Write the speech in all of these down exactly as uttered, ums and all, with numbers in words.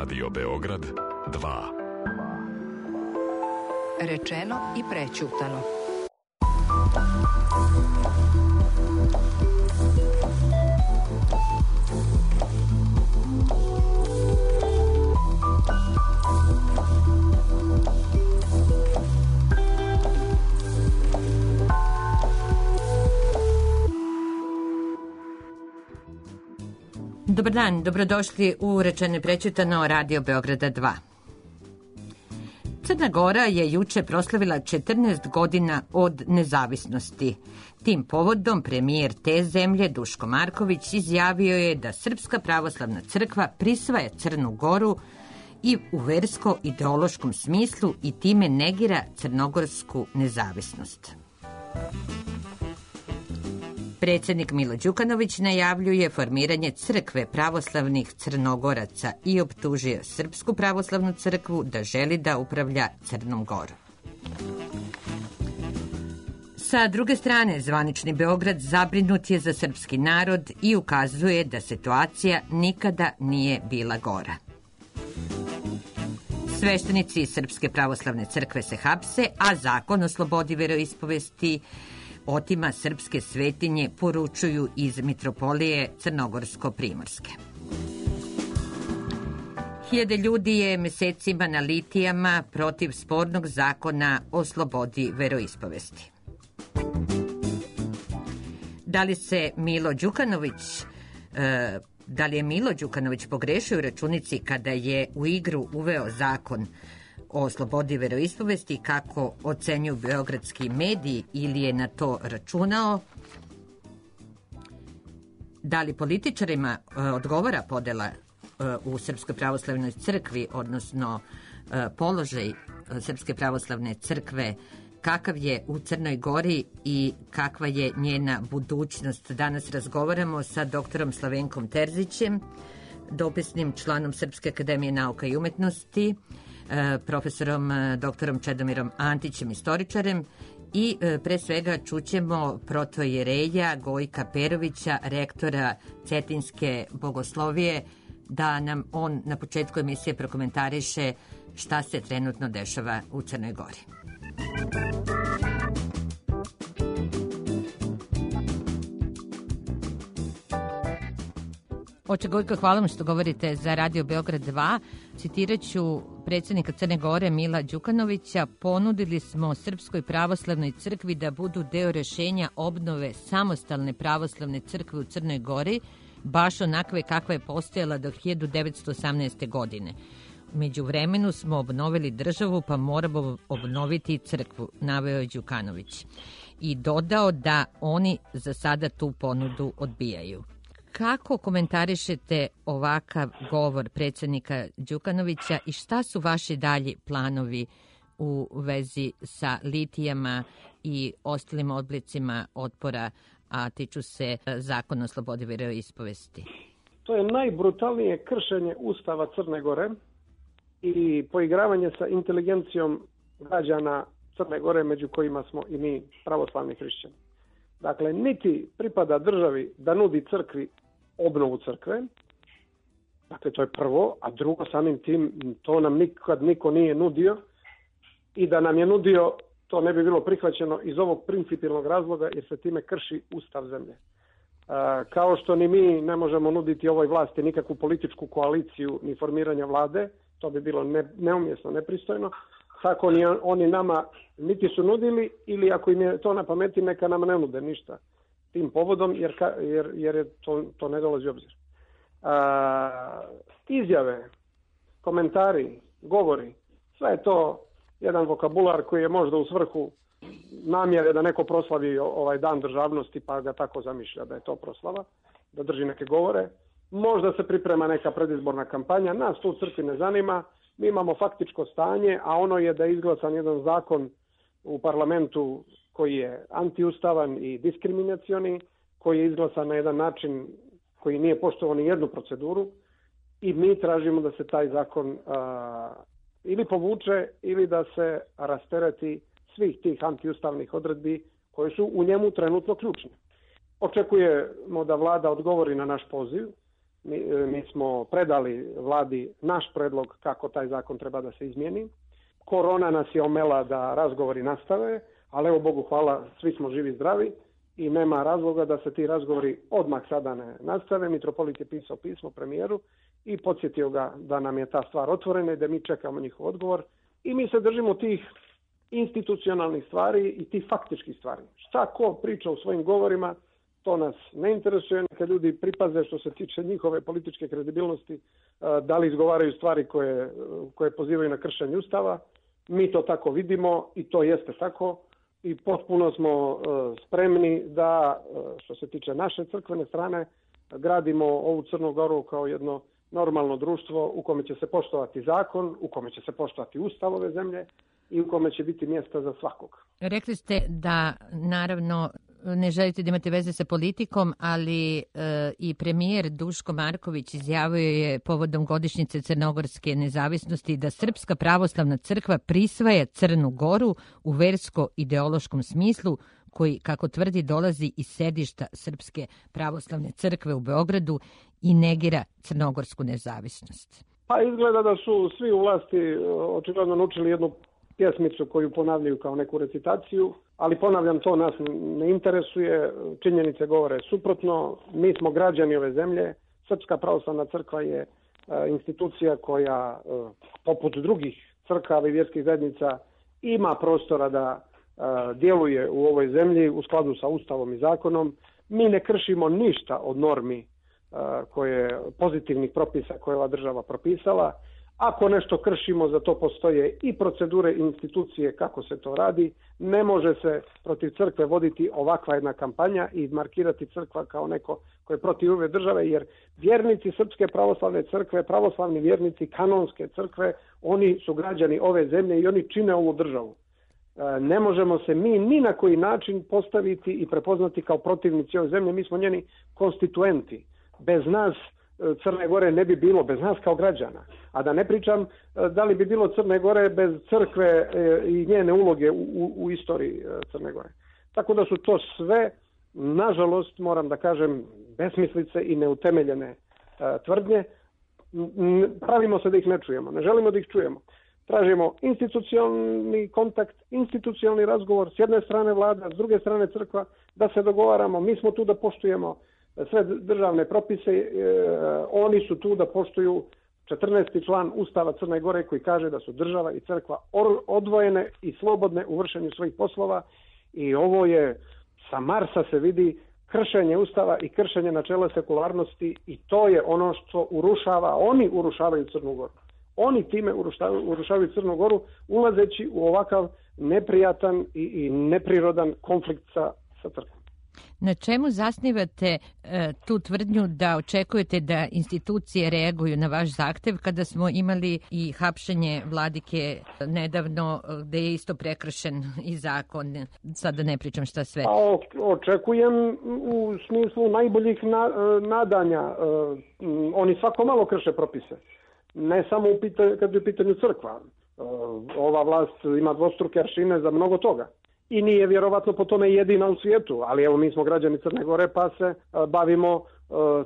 Radio Beograd dva. Rečeno i prećutano. Dobar dan, dobrodošli u Rečeno i prećutano Radio Beograda dva. Crna Gora je juče proslavila četrnaest godina od nezavisnosti. Tim povodom premijer te zemlje Duško Marković izjavio je da Srpska pravoslavna crkva prisvaja Crnu Goru i u versko-ideološkom smislu i time negira crnogorsku nezavisnost. Predsjednik Milo Đukanović najavljuje formiranje crkve pravoslavnih Crnogoraca i optužio Srpsku pravoslavnu crkvu da želi da upravlja Crnom Gorom. Sa druge strane, zvanični Beograd zabrinut je za srpski narod i ukazuje da situacija nikada nije bila gora. Sveštenici Srpske pravoslavne crkve se hapse, a zakon o slobodi veroispovesti otima srpske svetinje, poručuju iz Mitropolije Crnogorsko-Primorske. Hiljade ljudi je mesecima na litijama protiv spornog zakona o slobodi veroispovesti. Da li se Milo Đukanović, e, da li je Milo Đukanović pogrešio u računici kada je u igru uveo zakon o slobodi veroispovesti, kako ocenjuju beogradski mediji, ili je na to računao? Da li političarima e, odgovara podela e, u Srpskoj pravoslavnoj crkvi, odnosno e, položaj Srpske pravoslavne crkve, kakav je u Crnoj Gori i kakva je njena budućnost? Danas razgovaramo sa doktorom Slavenkom Terzićem, dopisnim članom Srpske akademije nauka i umetnosti, profesorom doktorom Čedomirom Antićem, istoričarem, i pre svega čućemo protojereja Gojka Perovića, rektora Cetinjske bogoslovije, da nam on na početku emisije prokomentariše šta se trenutno dešava u Crnoj Gori. Oče Gojko, hvala vam što govorite za Radio Beograd dva. Citirat ću predsjednika Crne Gore Mila Đukanovića: ponudili smo Srpskoj pravoslavnoj crkvi da budu deo rešenja obnove samostalne pravoslavne crkve u Crnoj Gori, baš onakve kakva je postojala do hiljadu devetsto osamnaeste. godine. U međuvremenu smo obnovili državu, pa moramo obnoviti crkvu, naveo je Đukanović. I dodao da oni za sada tu ponudu odbijaju. Kako komentarišete ovakav govor predsjednika Đukanovića i šta su vaši dalji planovi u vezi sa litijama i ostalim oblicima otpora, a tiču se zakona o slobodi veroispovesti? To je najbrutalnije kršenje Ustava Crne Gore i poigravanje sa inteligencijom građana Crne Gore, među kojima smo i mi pravoslavni hrišćani. Dakle, niti pripada državi da nudi crkvi obnovu crkve, dakle to je prvo, a drugo, samim tim to nam nikad niko nije nudio, i da nam je nudio to ne bi bilo prihvaćeno iz ovog principijelnog razloga, jer se time krši Ustav zemlje. A, kao što ni mi ne možemo nuditi ovoj vlasti nikakvu političku koaliciju ni formiranja vlade, to bi bilo ne, neumjesno, nepristojno, tako ni oni nama niti su nudili, ili ako im je to na pameti, neka nam ne nude ništa tim povodom, jer, jer, jer je to, to ne dolazi u obzir. A, izjave, komentari, govori, sve je to jedan vokabular koji je možda u svrhu namjere da neko proslavi ovaj dan državnosti, pa ga tako zamišlja da je to proslava, da drži neke govore. Možda se priprema neka predizborna kampanja, nas to u crkvi ne zanima, mi imamo faktičko stanje, a ono je da je izglasan jedan zakon u parlamentu koji je antiustavan i diskriminacioni, koji je izglasan na jedan način koji nije poštovao ni jednu proceduru, i mi tražimo da se taj zakon a, ili povuče ili da se rastereti svih tih antiustavnih odredbi koje su u njemu trenutno ključne. Očekujemo da vlada odgovori na naš poziv Mi, mi smo predali vladi naš predlog kako taj zakon treba da se izmijeni. Korona nas je omela da razgovori nastave, ali evo Bogu hvala, svi smo živi i zdravi i nema razloga da se ti razgovori odmah sada ne nastave. Mitropolit je pisao pismo premijeru i podsjetio ga da nam je ta stvar otvorena i da mi čekamo njihov odgovor. I mi se držimo tih institucionalnih stvari i tih faktičkih stvari. Šta ko priča u svojim govorima, to nas ne interesuje. Kad ljudi pripaze što se tiče njihove političke kredibilnosti, da li izgovaraju stvari koje, koje pozivaju na kršenje Ustava. Mi to tako vidimo i to jeste tako. I potpuno smo spremni da, što se tiče naše crkvene strane, gradimo ovu Crnu Goru kao jedno normalno društvo u kome će se poštovati zakon, u kome će se poštovati Ustav ove zemlje i u kome će biti mjesta za svakog. Rekli ste da naravno ne želite da imate veze sa politikom, ali e, i premijer Duško Marković izjavio je povodom godišnjice crnogorske nezavisnosti da Srpska pravoslavna crkva prisvaja Crnu Goru u versko-ideološkom smislu koji, kako tvrdi, dolazi iz sedišta Srpske pravoslavne crkve u Beogradu i negira crnogorsku nezavisnost. Pa izgleda da su svi u vlasti očigledno naučili jednu pjesmicu koju ponavljaju kao neku recitaciju, ali ponavljam, to nas ne interesuje, činjenice govore suprotno, mi smo građani ove zemlje, Srpska pravoslavna crkva je institucija koja, poput drugih crkava i vjerskih zajednica, ima prostora da djeluje u ovoj zemlji u skladu sa Ustavom i zakonom. Mi ne kršimo ništa od normi koje, pozitivnih propisa koje ova država propisala. Ako nešto kršimo, za to postoje i procedure i institucije kako se to radi. Ne može se protiv crkve voditi ovakva jedna kampanja i markirati crkva kao neko ko je protiv ove države, jer vjernici Srpske pravoslavne crkve, pravoslavni vjernici kanonske crkve, oni su građani ove zemlje i oni čine ovu državu. Ne možemo se mi ni na koji način postaviti i prepoznati kao protivnici ove zemlje. Mi smo njeni konstituenti. Bez nas Crne Gore ne bi bilo, bez nas kao građana. A da ne pričam da li bi bilo Crne Gore bez crkve i njene uloge u, u, u istoriji Crne Gore. Tako da su to sve, nažalost, moram da kažem, besmislice i neutemeljene uh, tvrdnje. Pravimo se da ih ne čujemo, ne želimo da ih čujemo. Tražimo institucionalni kontakt, institucionalni razgovor, s jedne strane vlada, s druge strane crkva, da se dogovaramo. Mi smo tu da poštujemo sve državne propise, e, oni su tu da poštuju četrnaesti član Ustava Crne Gore koji kaže da su država i crkva odvojene i slobodne u vršenju svojih poslova i ovo je, sa Marsa se vidi kršenje Ustava i kršenje načela sekularnosti i to je ono što urušava, oni urušavaju Crnu Goru. Oni time urušavaju, urušavaju Crnu Goru ulazeći u ovakav neprijatan i, i neprirodan konflikt sa, sa crkvom. Na čemu zasnivate e, tu tvrdnju da očekujete da institucije reaguju na vaš zahtev kada smo imali i hapšenje vladike nedavno gde je isto prekršen i zakon? Sada ne pričam šta sve. A, očekujem u smislu najboljih na, nadanja. E, oni svako malo krše propise. Ne samo u pita, kad je u pitanju crkva. E, ova vlast ima dvostruke aršine za mnogo toga. I nije vjerovatno po tome jedina u svijetu, ali evo mi smo građani Crne Gore pa se uh, bavimo uh,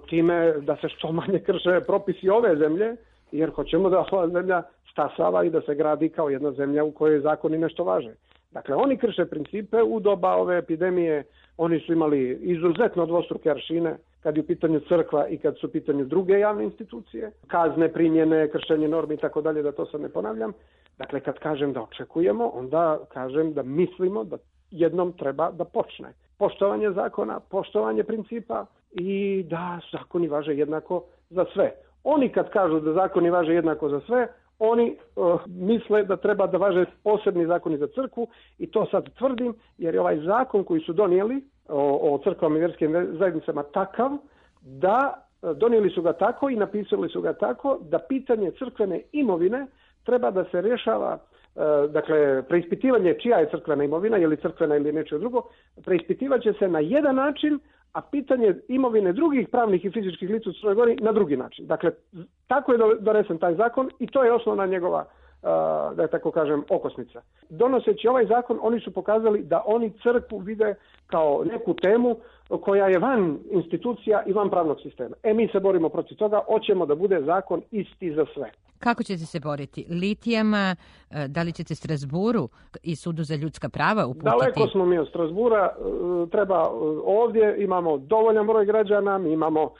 time da se što manje krše propisi ove zemlje, jer hoćemo da ova zemlja stasava i da se gradi kao jedna zemlja u kojoj zakoni nešto važe. Dakle, oni krše principe u doba ove epidemije, oni su imali izuzetno dvostruke aršine kad je u pitanju crkva i kad su u pitanju druge javne institucije, kazne, primjene, kršenje normi i tako dalje, da to sad ne ponavljam. Dakle, kad kažem da očekujemo, onda kažem da mislimo da jednom treba da počne. Poštovanje zakona, poštovanje principa i da zakoni važe jednako za sve. Oni kad kažu da zakoni važe jednako za sve, oni uh, misle da treba da važe posebni zakoni za crkvu i to sad tvrdim jer je ovaj zakon koji su donijeli o, o crkvama i vjerskim zajednicama takav da donijeli su ga tako i napisali su ga tako da pitanje crkvene imovine treba da se rješava, uh, dakle, preispitivanje čija je crkvena imovina, je li crkvena ili nečije drugo, preispitivat će se na jedan način, a pitanje imovine drugih pravnih i fizičkih lica u Crnoj Gori na drugi način. Dakle, tako je donesen taj zakon i to je osnovna njegova uh, da je tako kažem, okosnica. Donoseći ovaj zakon, oni su pokazali da oni crkvu vide kao neku temu koja je van institucija i van pravnog sistema. E, mi se borimo protiv toga, hoćemo da bude zakon isti za sve. Kako ćete se boriti? Litijama, da li ćete Strasburu i Sudu za ljudska prava uputiti? Daleko smo mi od Strasbura, treba ovdje, imamo dovoljan broj građana, mi imamo,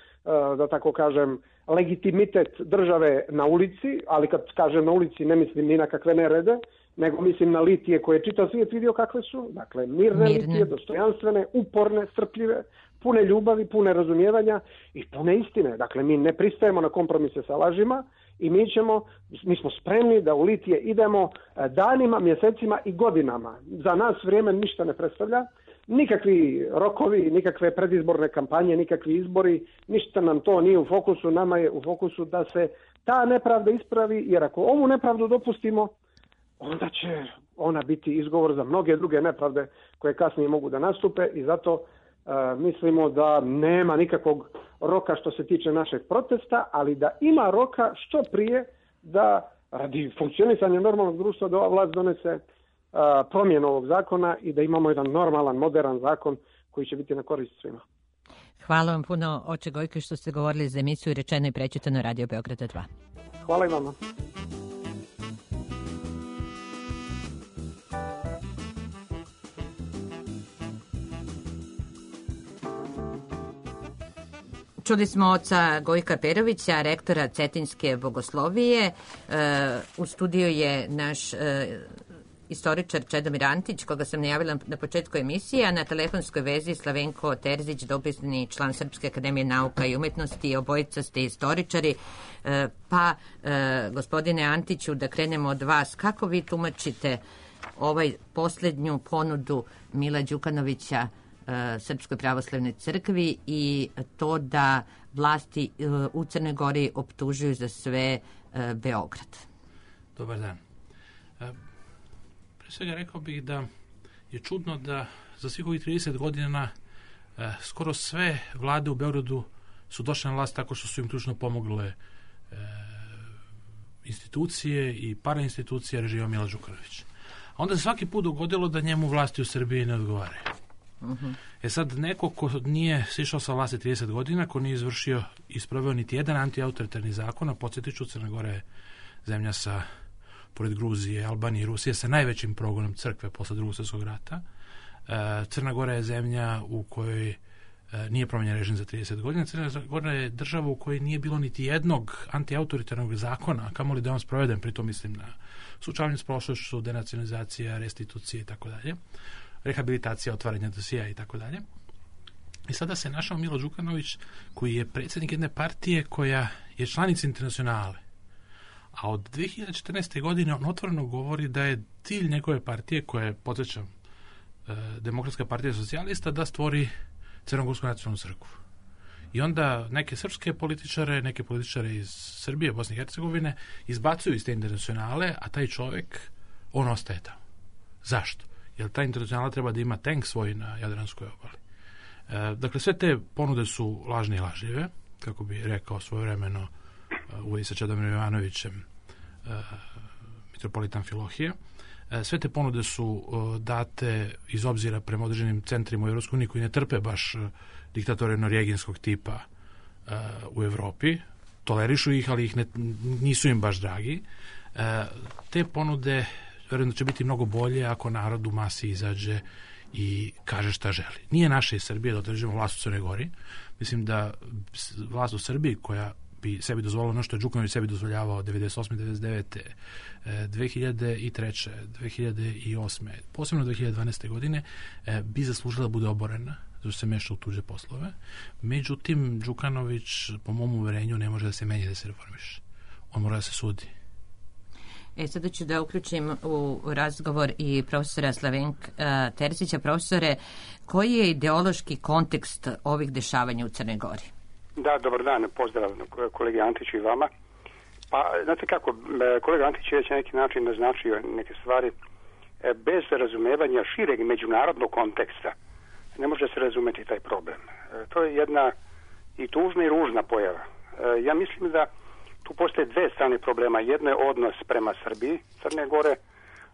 da tako kažem, legitimitet države na ulici, ali kad kažem na ulici ne mislim ni na kakve nerede, nego mislim na litije koje je čitav svijet vidio kakve su. Dakle, mirne, mirne. litije, dostojanstvene, uporne, strpljive, pune ljubavi, pune razumijevanja i pune istine. Dakle, mi ne pristajemo na kompromise sa lažima i mi ćemo, mi smo spremni da u litije idemo danima, mjesecima i godinama. Za nas vrijeme ništa ne predstavlja. Nikakvi rokovi, nikakve predizborne kampanje, nikakvi izbori, ništa nam to nije u fokusu, nama je u fokusu da se ta nepravda ispravi, jer ako ovu nepravdu dopustimo, onda će ona biti izgovor za mnoge druge nepravde koje kasnije mogu da nastupe i zato uh, mislimo da nema nikakvog roka što se tiče našeg protesta, ali da ima roka što prije da radi funkcionisanja normalnog društva da ova vlast donese promjenu ovog zakona i da imamo jedan normalan, modern zakon koji će biti na korist svima. Hvala vam puno, oče Gojko, što ste govorili za emisiju Rečeno i prečitano Radio Beograda dva. Hvala i vama. Čuli smo oca Gojka Perovića, rektora Cetinjske bogoslovije. U studiju je naš istoričar Čedomir Antić, koga sam najavila na početku emisije, a na telefonskoj vezi Slavenko Terzić, dopisni član Srpske akademije nauka i umetnosti, obojica ste istoričari. Pa, gospodine Antiću, da krenemo od vas, kako vi tumačite ovaj posljednju ponudu Mila Đukanovića Srpskoj pravoslavnoj crkvi i to da vlasti u Crnoj Gori optužuju za sve Beograd? Dobar dan. Pre svega rekao bih da je čudno da za svih ovih trideset godina eh, skoro sve vlade u Beogradu su došle na vlast tako što su im ključno pomogle eh, institucije i parainstitucije režima Mila Đukanovića. A onda se svaki put dogodilo da njemu vlasti u Srbiji ne odgovaraju. Uh-huh. E sad, neko ko nije sišao sa vlasti trideset godina, ko nije izvršio i isproveo niti jedan antiautoritarni zakon, a podsjetit ću, Crna Gora je zemlja sa, pored Gruzije, Albanije i Rusije, sa najvećim progonom crkve posle Drugog svjetskog rata. E, Crna Gora je zemlja u kojoj e, nije promenjen režim za trideset godina. Crna Gora je država u kojoj nije bilo niti jednog antiautoritarnog zakona, kamoli da je on sproveden, pritom mislim na suočavanje s prošlošću, denacionalizacija, restitucije i tako dalje, rehabilitacija, otvaranja dosija i tako dalje. I sada se našao Milo Đukanović, koji je predsjednik jedne partije koja je članica Internacionale. A od dve hiljade četrnaeste. godine on otvoreno govori da je cilj njegove partije, koja je, podsjećam, Demokratska partija socijalista, da stvori Crnogorsku nacionalnu crkvu. I onda neke srpske političare, neke političare iz Srbije, Bosne i Hercegovine izbacuju iz te Internacionale, a taj čovjek, on ostaje tamo. Zašto? Jer ta Internacionala treba da ima tank svoj na Jadranskoj obali. E, dakle, sve te ponude su lažne i lažljive, kako bi rekao svojevremeno u vezi sa Čedomirom Jovanovićem e, mitropolitan Filohije. E, sve te ponude su e, date iz obzira prema određenim centrima u Evropskoj uniji koji ne trpe baš e, diktatore norijeginskog tipa e, u Evropi. Tolerišu ih, ali ih ne, nisu im baš dragi. E, te ponude vjerujem da će biti mnogo bolje ako narod u masi izađe i kaže šta želi. Nije naše iz Srbije da održimo vlast u Crnoj Gori. Mislim da vlast u Srbiji koja bi sebi dozvolila ono što je Đukanović sebi dozvoljavao devedeset osme. devedeset devete. dve hiljade treće. dve hiljade osme. posebno dve hiljade dvanaeste. godine bi zaslužila da bude oborena, zato što se meša u tuđe poslove. Međutim, Đukanović, po mom uverenju, ne može da se menja, da se reformiše. On mora da se sudi. E, sada ću da uključim u razgovor i profesora Slavenka uh, Terzića. Profesore, koji je ideološki kontekst ovih dešavanja u Crnoj Gori? Da, dobar dan, pozdrav kolegi Antiću i vama. Pa, znate kako, kolega Antić je već na neki način naznačio neke stvari. Bez razumevanja šireg međunarodnog konteksta ne može se razumeti taj problem. To je jedna i tužna i ružna pojava. Ja mislim da tu postoje dve strane problema. Jedno je odnos prema Srbiji, Crne Gore,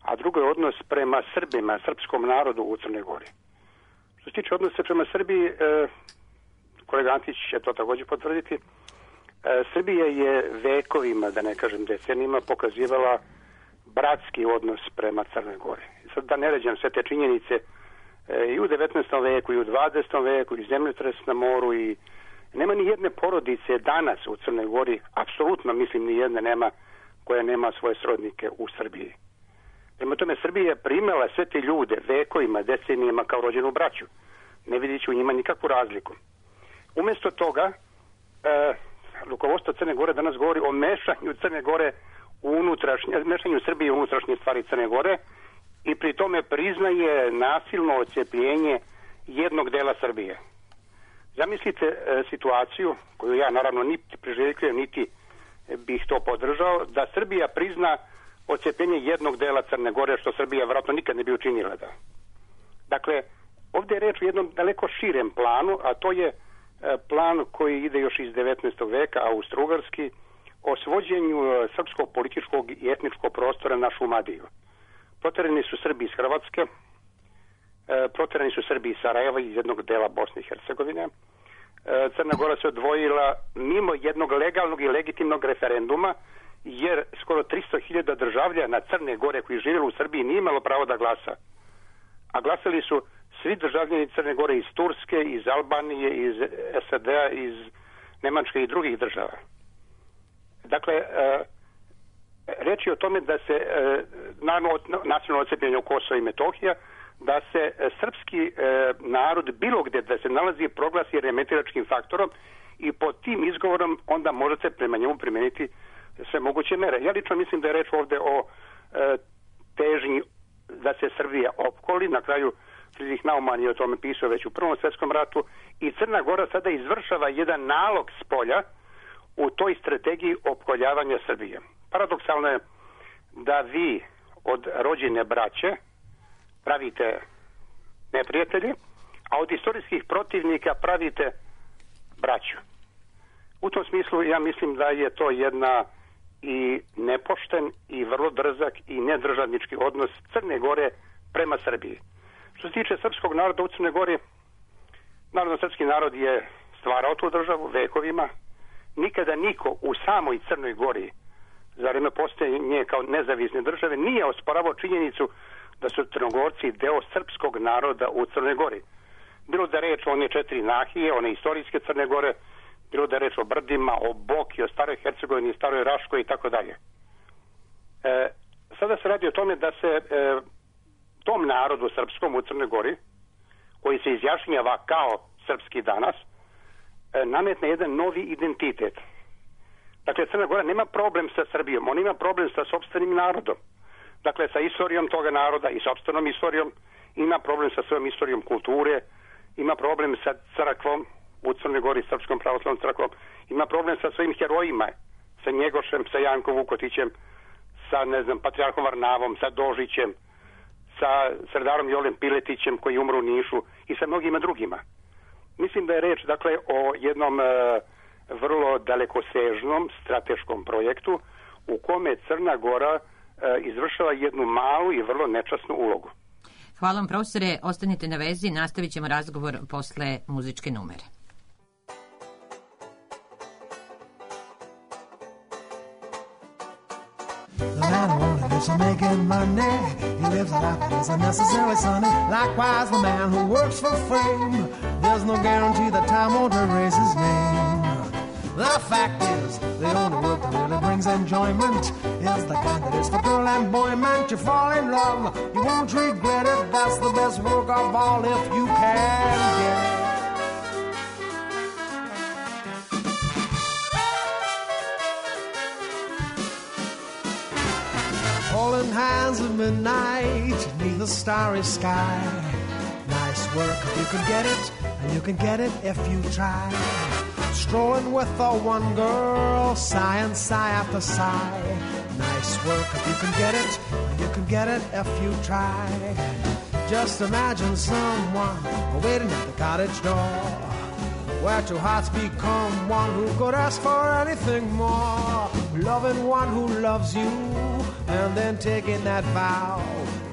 a drugo je odnos prema Srbima, srpskom narodu u Crne Gori. Što se tiče odnosa prema Srbiji, e, kolega Antić će to također potvrditi, e, Srbija je vekovima, da ne kažem decenijima, pokazivala bratski odnos prema Crnoj Gori. Sad da ne ređam sve te činjenice, e, i u devetnaestom veku, i u dvadesetom veku, i zemljotres na moru, i nema ni jedne porodice danas u Crnoj Gori, apsolutno mislim ni jedne nema, koja nema svoje srodnike u Srbiji. Prema tome, Srbija je primela sve te ljude vekovima, decenijama kao rođenu braću. Ne vidići u njima nikakvu razliku. Umjesto toga, e, rukovodstvo Crne Gore danas govori o mešanju Crne Gore u unutrašnje, mešanju Srbije u unutrašnje stvari Crne Gore i pri tome priznaje nasilno odcepljenje jednog dela Srbije. Zamislite e, situaciju, koju ja naravno niti priželjkujem, niti bih to podržao, da Srbija prizna odcepljenje jednog dela Crne Gore, što Srbija vjerojatno nikad ne bi učinila. Da. Dakle, ovdje je reč o jednom daleko širem planu, a to je e, plan koji ide još iz devetnaestog veka, austrougarski, o svođenju e, srpskog političkog i etničkog prostora na Šumadiju. Proterani su Srbi iz Hrvatske, e, proterani su Srbi iz Sarajeva, iz jednog dela Bosne i Hercegovine. E, Crna Gora se odvojila mimo jednog legalnog i legitimnog referenduma, jer skoro tristo hiljada državljana Crne Gore koji živjeli u Srbiji nije imalo pravo da glasa. A glasali su svi državljani Crne Gore iz Turske, iz Albanije, iz S A D-a, iz Nemačke i drugih država. Dakle, e, reč je o tome da se, e, naravno, nacionalno odcepljenje u Kosovo i Metohija, da se e, srpski e, narod bilo gdje da se nalazi proglasi remetilačkim faktorom i pod tim izgovorom onda možete prema njemu primijeniti sve moguće mere. Ja lično mislim da je reč ovdje o e, težnji da se Srbija opkoli. Na kraju Friedrich Naumann je o tome pisao već u Prvom svjetskom ratu i Crna Gora sada izvršava jedan nalog s polja u toj strategiji opkoljavanja Srbije. Paradoksalno je da vi od rođene braće pravite neprijatelji, a od istorijskih protivnika pravite braću. U tom smislu ja mislim da je to jedna i nepošten i vrlo drzak i nedržavnički odnos Crne Gore prema Srbiji. Što se tiče srpskog naroda u Crnoj Gori, naravno srpski narod je stvarao tu državu vekovima. Nikada niko u samoj Crnoj Gori za vrijeme postojanja kao nezavisne države nije osporavao činjenicu da su Crnogorci deo srpskog naroda u Crnoj Gori. Bilo da reč o one četiri nahije, one istorijske Crne Gore, bilo da je reč o Brdima, o Boki, o Staroj Hercegovini, Staroj Raškoj i tako dalje. Sada se radi o tome da se e, tom narodu srpskom u Crnoj Gori, koji se izjašnjava kao srpski danas, e, nametne jedan novi identitet. Dakle, Crna Gora nema problem sa Srbijom, on ima problem sa sopstvenim narodom. Dakle, sa istorijom toga naroda i sopstvenom istorijom, ima problem sa svojom istorijom kulture, ima problem sa crkvom u Crnoj Gori, Srpskom pravoslavnom crkvom, ima problem sa svojim herojima, sa Njegošem, sa Jankom Vukotićem, sa, ne znam, Patrijarhom Varnavom, sa Dožićem, sa Sredarom Jolem Piletićem koji umru u Nišu i sa mnogima drugima. Mislim da je reč, dakle, o jednom e, vrlo dalekosežnom strateškom projektu u kome Crna Gora e, izvršava jednu malu i vrlo nečasnu ulogu. Hvala vam, profesore. Ostanite na vezi, nastavit ćemo razgovor posle muzičke numere. The man who only lives for making money, he lives a life that is unnecessarily sunny. Likewise, the man who works for fame, there's no guarantee that time won't erase his name. The fact is, the only work that really brings enjoyment is the kind that is for girl and boy. Man, you fall in love, you won't regret it. That's the best work of all if you can get it. Holding hands at midnight beneath the starry sky. Nice work if you can get it, and you can get it if you try. Strolling with the one girl, sigh and sigh after sigh. Nice work if you can get it, and you can get it if you try. Just imagine someone waiting at the cottage door, where two hearts become one. Who could ask for anything more? Loving one who loves you and then taking that vow.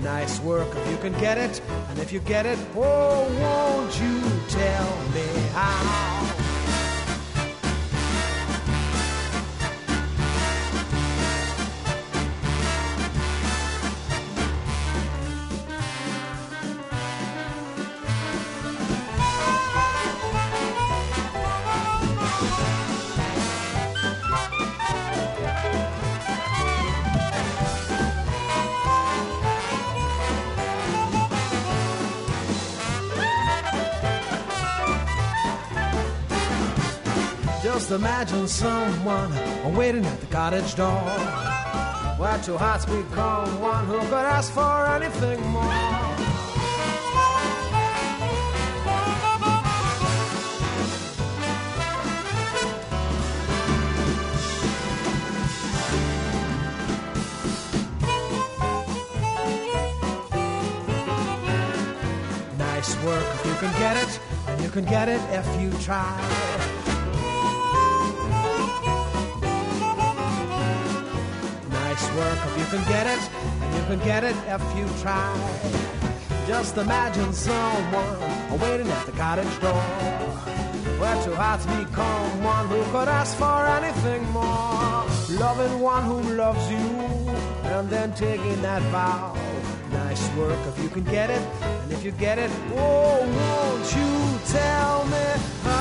Nice work if you can get it, and if you get it, oh, won't you tell me how? Just imagine someone waiting at the cottage door, where two hearts become one. Who could ask for anything more? Nice work if you can get it, and you can get it if you try. Work if you can get it, and you can get it if you try. Just imagine someone waiting at the cottage door, where two hearts become one. Who could ask for anything more? Loving one who loves you and then taking that vow. Nice work if you can get it, and if you get it, oh, won't you tell me how?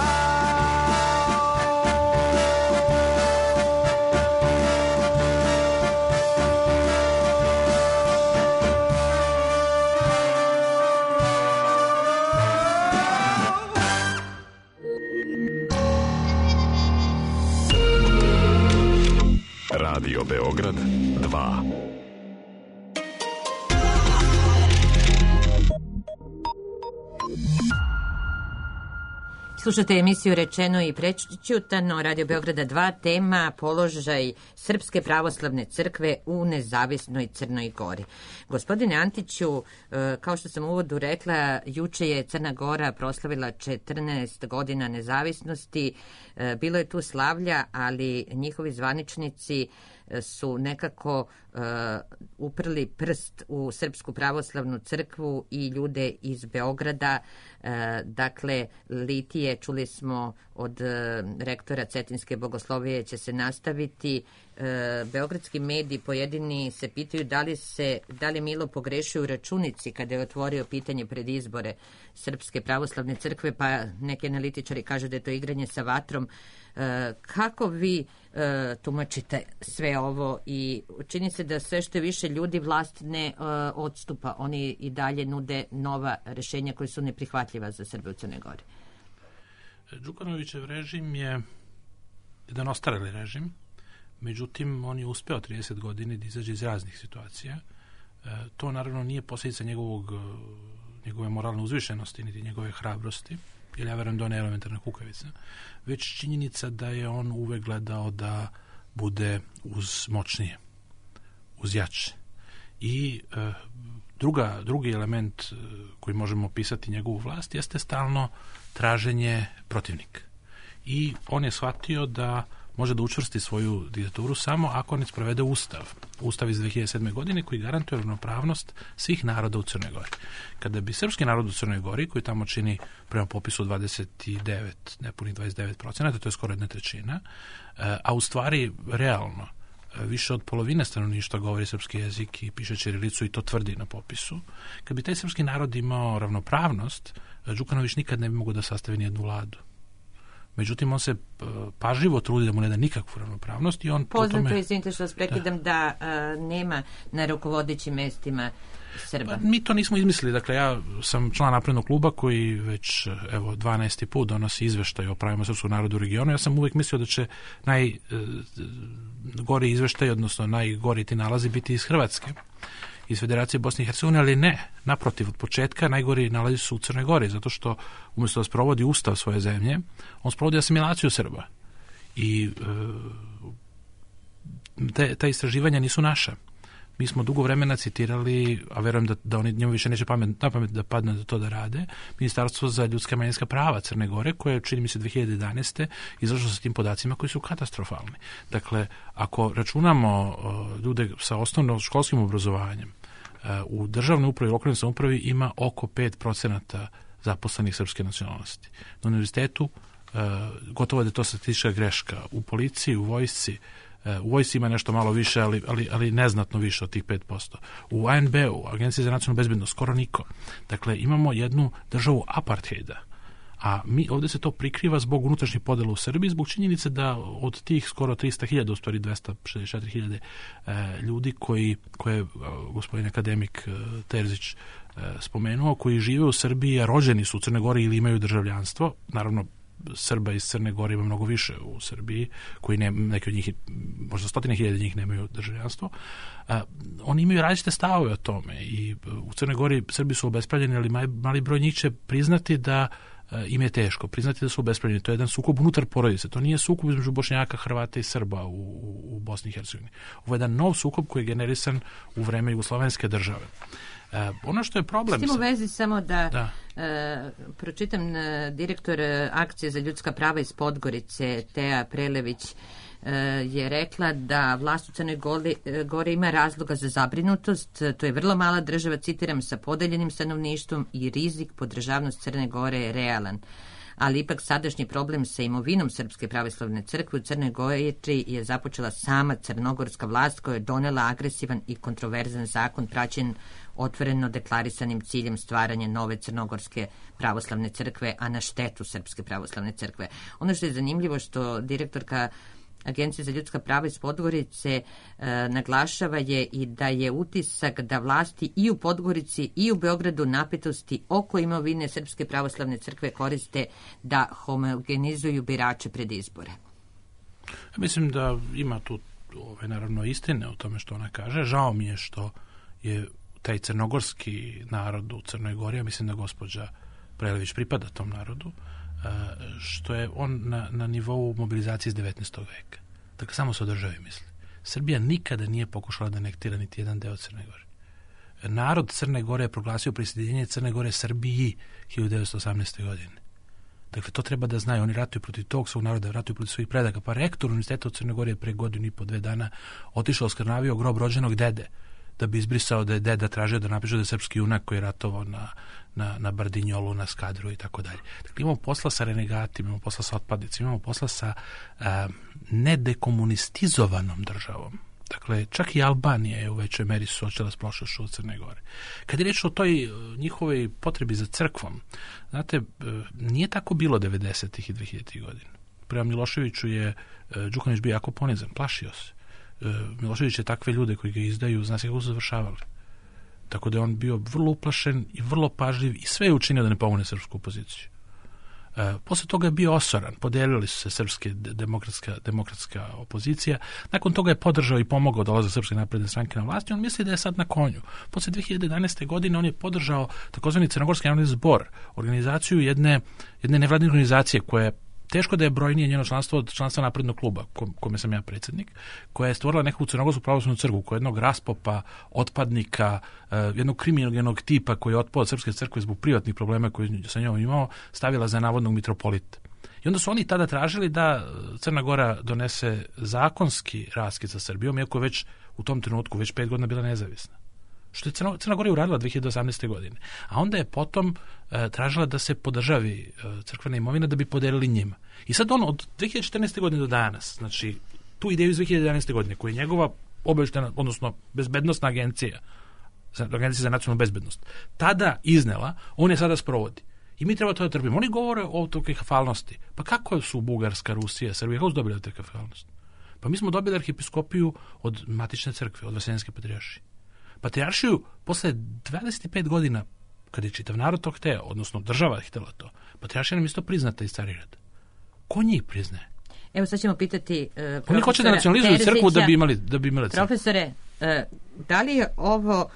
Radio Beograd dva. Slušate emisiju Rečeno i prečutano, Radio Beograda dva, tema položaj Srpske pravoslavne crkve u nezavisnoj Crnoj Gori. Gospodine Antiću, kao što sam u uvodu rekla, juče je Crna Gora proslavila četrnaest godina nezavisnosti. Bilo je tu slavlja, ali njihovi zvaničnici su nekako uh, uprli prst u Srpsku pravoslavnu crkvu i ljude iz Beograda. Uh, dakle, litije, čuli smo od uh, rektora Cetinske bogoslovije, će se nastaviti. Uh, beogradski mediji pojedini se pitaju da li, se, da li Milo pogrešio u računici kada je otvorio pitanje pred izbore Srpske pravoslavne crkve, pa neki analitičari kažu da je to igranje sa vatrom. Uh, kako vi uh, tumačite sve ovo i čini se da sve što je više ljudi vlast ne uh, odstupa, oni i dalje nude nova rešenja koja su neprihvatljiva za Srbe u Crnoj Gori? Đukanovićev režim je jedan ostareli režim, međutim on je uspeo trideset godina da izađe iz raznih situacija. E, to naravno nije posljedica njegovog, njegove moralne uzvišenosti niti njegove hrabrosti, jer ja verujem da on je elementarna kukavica, već činjenica da je on uvek gledao da bude uz moćnije, uz jače. I e, druga, drugi element koji možemo opisati njegovu vlast jeste stalno traženje protivnika. I on je shvatio da može da učvrsti svoju diktaturu samo ako ne sprovede ustav. Ustav iz dve hiljade sedme. godine koji garantuje ravnopravnost svih naroda u Crnoj Gori. Kada bi srpski narod u Crnoj Gori, koji tamo čini prema popisu dvadeset devet, nepunih dvadeset devet procenata, to je skoro jedna trećina, a u stvari realno više od polovine stanovništva govori srpski jezik i piše ćirilicu i to tvrdi na popisu. Kad bi taj srpski narod imao ravnopravnost, Đukanović nikad ne bi mogao da sastavi nijednu vladu. Međutim, on se pažljivo trudi da mu ne da nikakvu ravnopravnost i on poznato tome... je, izvinite što vas prekidam, da, da a, nema na rukovodećim mestima Srba. Pa, mi to nismo izmislili. Dakle, ja sam član naprednog kluba koji već, evo, dvanaesti put donosi izveštaj o pravima srpskog naroda u regionu. Ja sam uvek mislio da će najgori izveštaj, odnosno najgori ti nalazi biti iz Hrvatske, iz Federacije Bosne i Hercegovine, ali ne. Naprotiv, od početka najgori nalazi su u Crnoj Gori, zato što umjesto da sprovodi ustav svoje zemlje, on sprovodi asimilaciju Srba. I e, te, ta istraživanja nisu naša. Mi smo dugo vremena citirali, a verujem da, da oni njemu više neće pamet, na pamet da padne da to da rade, Ministarstvo za ljudska i manjinska prava Crne Gore, koje čini mi se dve hiljade jedanaeste izašlo sa tim podacima koji su katastrofalni. Dakle, ako računamo uh, ljude sa osnovno školskim obrazovanjem, uh, u državnoj upravi i lokalnoj samoupravi ima oko pet procenata zaposlenih srpske nacionalnosti. Na univerzitetu uh, gotovo da je to statistička greška. U policiji, u vojsci, u vojsci ima nešto malo više, ali, ali, ali neznatno više od tih pet posto. U A N B-u, Agenciji za nacionalnu bezbednost, skoro niko. Dakle, imamo jednu državu apartheida. A mi ovdje se to prikriva zbog unutrašnjih podela u Srbiji, zbog činjenice da od tih skoro trista hiljada, u stvari dvesta šezdeset četiri hiljade e, ljudi koji, koje je gospodin akademik e, Terzić e, spomenuo, koji žive u Srbiji, a rođeni su u Crnoj Gori ili imaju državljanstvo, naravno Srba iz Crne Gore ima mnogo više u Srbiji, koji ne, neki od njih, možda stotine hiljade njih nemaju državljanstvo. A, oni imaju različite stavove o tome i u Crnoj Gori Srbi su obespravljeni, ali mali, mali broj njih će priznati da a, im je teško, priznati da su obespravljeni. To je jedan sukob unutar porodice, to nije sukob između Bošnjaka, Hrvata i Srba u, u, u Bosni i Hercegovini. Ovo je jedan nov sukob koji je generisan u vreme jugoslovenske države. Uh, ono što je problem... S tim u vezi samo da, da. Uh, pročitam uh, direktor uh, akcije za ljudska prava iz Podgorice, Teja Prelević, uh, je rekla da vlast u Crnoj Gori, uh, Gori ima razloga za zabrinutost. To je vrlo mala država, citiram, sa podeljenim stanovništvom i rizik po državnost Crne Gore je realan. Ali ipak sadašnji problem sa imovinom Srpske pravoslavne crkve u Crnoj Gori je započela sama crnogorska vlast koja je donela agresivan i kontroverzan zakon praćen otvoreno deklarisanim ciljem stvaranja nove crnogorske pravoslavne crkve, a na štetu Srpske pravoslavne crkve. Ono što je zanimljivo što direktorka Agencije za ljudska prava iz Podgorice e, naglašava je i da je utisak da vlasti i u Podgorici i u Beogradu napetosti oko imovine Srpske pravoslavne crkve koriste da homogenizuju birače pred izbore. Mislim da ima tu ove, naravno istine o tome što ona kaže. Žao mi je što je taj crnogorski narod u Crnoj Gori, ja mislim da gospođa Prelević pripada tom narodu, što je on na, na nivou mobilizacije iz devetnaestog veka. Dakle, samo se o državi misli. Srbija nikada nije pokušala da anektira niti jedan deo Crne Gore. Narod Crne Gore je proglasio prisjedinjenje Crne Gore Srbiji hiljadu devetsto osamnaeste. godine. Dakle, to treba da znaju. Oni ratuju protiv tog svog naroda, ratuju protiv svojih predaka. Pa rektor Univerziteta u Crnoj Gori je pre godinu i po dve dana otišao, oskrnavio grob rođenog dede, da bi izbrisao da je deda tražio da napiše da je srpski junak koji je ratovao na, na, na Bardinjolu, na Skadru i tako dalje. Dakle, imamo posla sa renegatima, imamo posla sa otpadnicima, imamo posla sa uh, nedekomunistizovanom državom. Dakle, čak i Albanija je u većoj meri suočila s prošlošću od Crne Gore. Kad je reč o toj uh, njihovoj potrebi za crkvom, znate, uh, nije tako bilo devedesetih i dvehiljaditih godina. Prema Miloševiću je uh, Đukanović bio jako ponizan, plašio se. Milošević je takve ljude koji ga izdaju, zna se kako su završavali. Tako da je on bio vrlo uplašen i vrlo pažljiv i sve je učinio da ne pomogne srpsku opoziciju. E, posle toga je bio osoran, podelili su se srpske demokratska, demokratska opozicija, nakon toga je podržao i pomogao dolazak Srpske napredne stranke na vlast i on misli da je sad na konju. Posle dve hiljade jedanaeste. godine on je podržao takozvani Crnogorski narodni zbor, organizaciju jedne, jedne nevladine organizacije koja je teško da je brojnije njeno članstvo od članstva Naprednog kluba, kome sam ja predsjednik, koja je stvorila nekakvu crnogorsku pravoslavnu crkvu, koja je jednog raspopa, otpadnika, jednog kriminogenog tipa koji je otpao od Srpske crkve zbog privatnih problema koje sa njom imao, stavila za navodnog mitropolita. I onda su oni tada tražili da Crna Gora donese zakonski raskid sa Srbijom, iako je već u tom trenutku već pet godina bila nezavisna. Što je Crna, Crna Gora uradila dve hiljade osamnaeste. godine. A onda je potom e, tražila da se podržavi e, crkvena imovina da bi podelili njima. I sad on od dve hiljade četrnaeste. godine do danas, znači tu ideju iz dve hiljade jedanaeste. godine, koja je njegova obavještajna, odnosno bezbednostna agencija, agencija za nacionalnu bezbednost, tada iznela, on je sada sprovodi. I mi treba to da trpimo. Oni govore o toj kafalnosti. Pa kako su Bugarska, Rusija, Srbija, kako su dobili te kafalnosti? Pa mi smo dobili arhipiskopiju od matične crkve, od Vaseljenske patrijaršije. Patrijaršiju posle dvadeset pet godina, kad je čitav narod to hteo, odnosno država htjela to, patrijaršija nam isto priznata iz Carigrada. Ko njih priznaje? Evo sad ćemo pitati uh, profesora Oni hoće da nacionalizuju Terzića, crkvu da bi imali, da bi imali crkvu. Profesore, uh, da li je ovo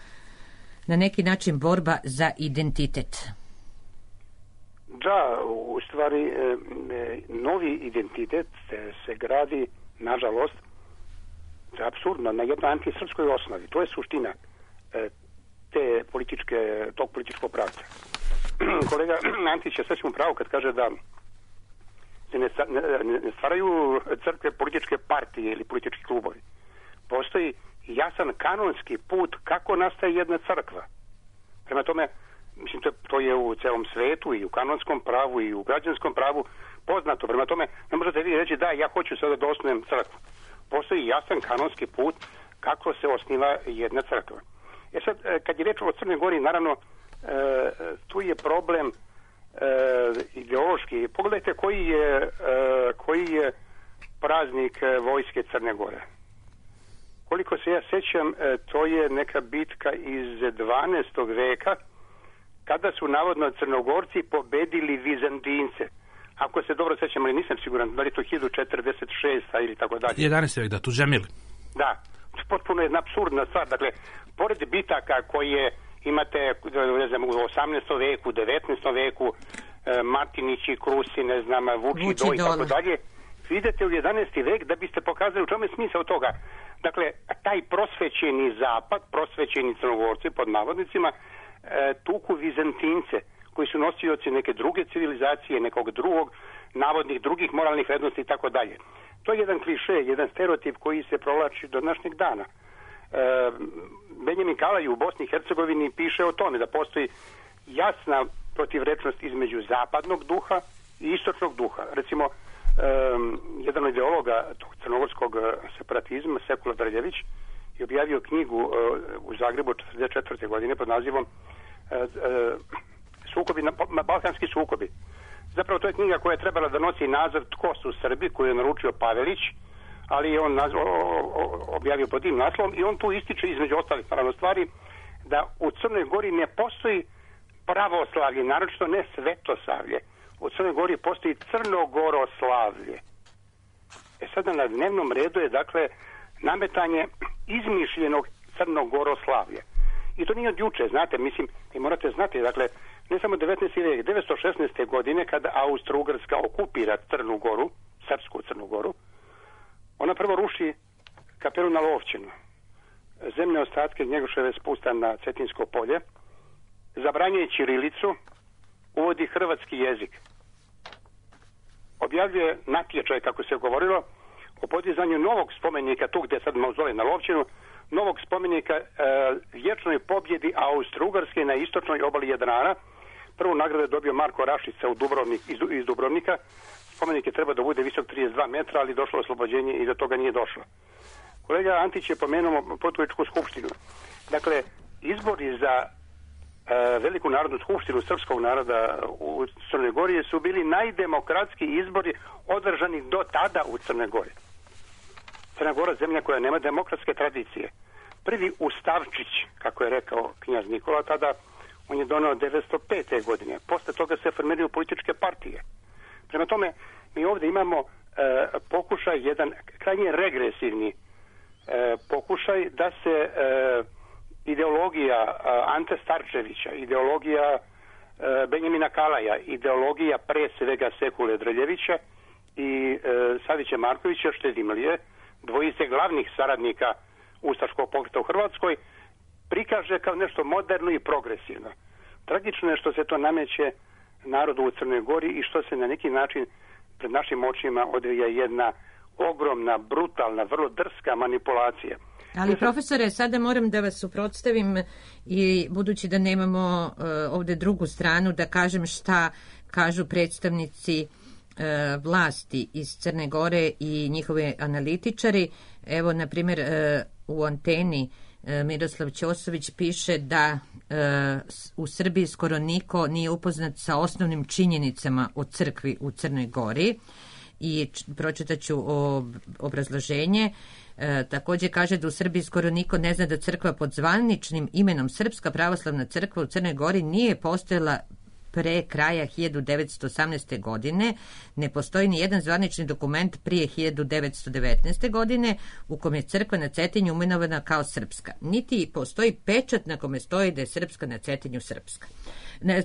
na neki način borba za identitet? Da, u stvari novi identitet se, se gradi, nažalost, To je apsurdno, na jednoj antisrpskoj osnovi. To je suština e, te političke, tog političkog pravca. Kolega Antić je sasvim pravo kad kaže da se ne, ne, ne stvaraju crkve političke partije ili politički klubovi. Postoji jasan kanonski put kako nastaje jedna crkva. Prema tome, mislim, to, to je u celom svetu i u kanonskom pravu i u građanskom pravu poznato. Prema tome, ne možete vi reći da ja hoću sada da osnujem crkvu. Postoji jasan kanonski put kako se osniva jedna crkva. E sad, kad je reč o Crnoj Gori, naravno, tu je problem ideološki. Pogledajte koji je, koji je praznik vojske Crne Gore. Koliko se ja sećam, to je neka bitka iz dvanaestog veka, kada su navodno Crnogorci pobedili Vizantince. Ako se dobro sećam, ali nisam siguran, da li je to hiljadu četrdeset šesta ili tako dalje. jedanaesti vek, da, tu Džemili. Da, potpuno jedna apsurdna stvar. Dakle, pored bitaka koje imate, ne znam, u osamnaestom veku, devetnaestom veku, e, Martinići, Krusi, ne znam, Vuči Do i tako dalje, vidite u jedanaesti vek da biste pokazali u čemu je smisao toga. Dakle, taj prosvećeni zapad, prosvećeni Crnogorci, pod navodnicima, e, tuku Vizantince, koji su nosioci neke druge civilizacije, nekog drugog, navodnih drugih moralnih vrednosti i tako dalje. To je jedan kliše, jedan stereotip koji se provlači do današnjeg dana. E, Benjamin Kalaj u Bosni i Hercegovini piše o tome da postoji jasna protivrečnost između zapadnog duha i istočnog duha. Recimo, um, jedan od ideologa tog crnogorskog separatizma, Sekula Drljević, je objavio knjigu uh, u Zagrebu četrdeset četvrte godine pod nazivom uh, uh, sukobi, na, Balkanski sukobi. Zapravo to je knjiga koja je trebala da nosi naziv Tko su Srbi, koju je naručio Pavelić, ali je on nazv, o, o, objavio pod tim naslovom i on tu ističe između ostalih naravno stvari da u Crnoj Gori ne postoji pravoslavlje, naročito ne svetosavlje. U Crnoj Gori postoji crnogoroslavlje. E sada na dnevnom redu je dakle nametanje izmišljenog crnogoroslavlja. I to nije od juče, znate, mislim, i morate znati, dakle, ne samo devetnaesti vek, devetsto šesnaeste godine kada Austro-Ugarska okupira Crnu Goru, srpsku Crnu Goru, ona prvo ruši kapelu na Lovćinu, zemlje ostatke Njegoševe spusta na Cetinsko polje, zabranjuje ćirilicu, uvodi hrvatski jezik. Objavljuje natječaj, kako se govorilo, o podizanju novog spomenika, tu gdje sad mauzolej na Lovćinu, novog spomenika e, vječnoj pobjedi Austro-Ugarske na istočnoj obali Jadrana. Prvu nagradu je dobio Marko Rašica u Dubrovnik, iz, iz Dubrovnika. Spomenik je treba da bude visok trideset dva metra, ali došlo oslobođenje i do toga nije došlo. Kolega Antić je pomenuo Potkovičku skupštinu. Dakle, izbori za e, Veliku narodnu skupštinu srpskog naroda u Crnoj Gori su bili najdemokratski izbori održani do tada u Crnoj Gori. Crna Gora, zemlja koja nema demokratske tradicije. Prvi ustavčić, kako je rekao knjaz Nikola tada, on je donao devetsto pete godine. Posle toga se formiraju političke partije. Prema tome, mi ovdje imamo e, pokušaj, jedan krajnje regresivni e, pokušaj da se e, ideologija e, Ante Starčevića, ideologija e, Benjamina Kalaja, ideologija pre svega Sekule Drljevića i e, Savića Markovića Štedimlije, dvojice glavnih saradnika ustaškog pokreta u Hrvatskoj, prikaže kao nešto moderno i progresivno. Tragično je što se to nameće narodu u Crnoj Gori i što se na neki način pred našim očima odvija jedna ogromna, brutalna, vrlo drska manipulacija. Ali profesore, sada moram da vas suprotstavim i budući da nemamo uh, ovdje drugu stranu, da kažem šta kažu predstavnici vlasti iz Crne Gore i njihove analitičari. Evo, na primjer, u Anteni Miroslav Ćosović piše da u Srbiji skoro niko nije upoznat sa osnovnim činjenicama o crkvi u Crnoj Gori i pročitat ću obrazloženje. E, također kaže da u Srbiji skoro niko ne zna da crkva pod zvaničnim imenom Srpska pravoslavna crkva u Crnoj Gori nije postojala pre kraja hiljadu devetsto osamnaeste. godine. Ne postoji ni jedan zvanični dokument prije hiljadu devetsto devetnaeste. godine u kom je crkva na Cetinju imenovana kao srpska. Niti postoji pečat na kome stoji da je srpska na Cetinju srpska.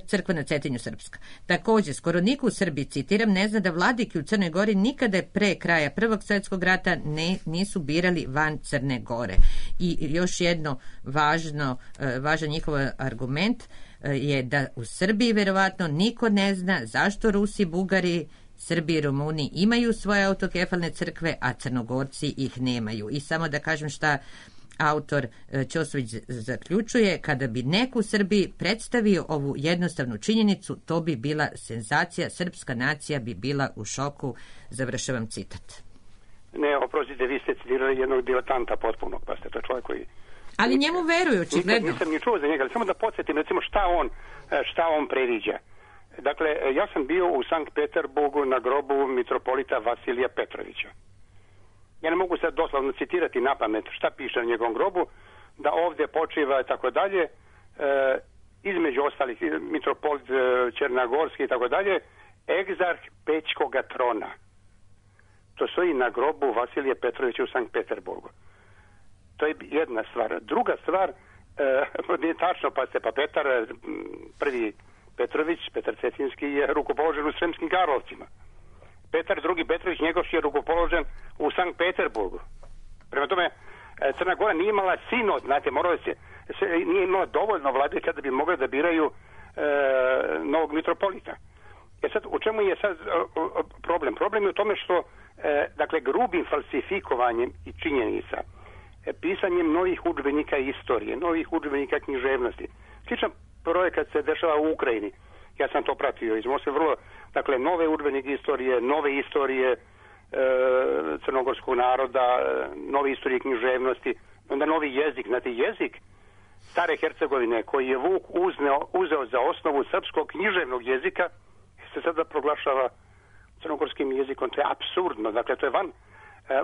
Crkva na Cetinju srpska. Također, skoro niko u Srbiji, citiram, ne zna da vladike u Crnoj Gori nikada pre kraja Prvog svjetskog rata ne, nisu birali van Crne Gore. I još jedno važno, važan njihov argument je da u Srbiji verovatno niko ne zna zašto Rusi, Bugari, Srbi i Rumuni imaju svoje autokefalne crkve, a Crnogorci ih nemaju. I samo da kažem šta autor Ćosović zaključuje, kada bi neko u Srbiji predstavio ovu jednostavnu činjenicu, to bi bila senzacija, srpska nacija bi bila u šoku, završavam citat. Ne, oprostite, vi ste citirali jednog diletanta potpunog, pa ste to čovjek koji... Ali njemu veruju, očigledno. Nisam ni čuo za njega, ali samo da podsjetim, recimo, šta on, šta on previđa. Dakle, ja sam bio u Sankt Peterburgu na grobu mitropolita Vasilija Petrovića. Ja ne mogu sad doslovno citirati na pamet šta piše na njegovom grobu, da ovdje počiva i tako dalje, e, između ostalih mitropolit e, Černagorski i tako dalje, egzarh Pećkoga trona. To stoji na grobu Vasilije Petrovića u Sankt Peterburgu. To je jedna stvar. Druga stvar, e, nije tačno, pa se pa Petar, prvi Petrović, Petar Cetinski, je rukopoložen u Sremskim Karlovcima. Petar drugi Petrović, njegov je rukopoložen u Sankt Peterburgu. Prema tome, Crna Gora nije imala sinod, znate, moralo se, se, nije imala dovoljno vladika da bi mogli da biraju e, novog mitropolita. E sad, u čemu je sad o, o, problem? Problem je u tome što, e, dakle, grubim falsifikovanjem i činjenica, e, pisanjem novih udžbenika istorije, novih udžbenika književnosti. Sličan projekat se dešava u Ukrajini. Ja sam to pratio iz Moskve, vrlo, dakle, nove udžbenike istorije, nove istorije e, crnogorskog naroda, nove istorije književnosti, onda novi jezik, znate, jezik stare Hercegovine koji je Vuk uzneo, uzeo za osnovu srpskog književnog jezika, se sada proglašava crnogorskim jezikom. To je apsurdno, dakle, to je van,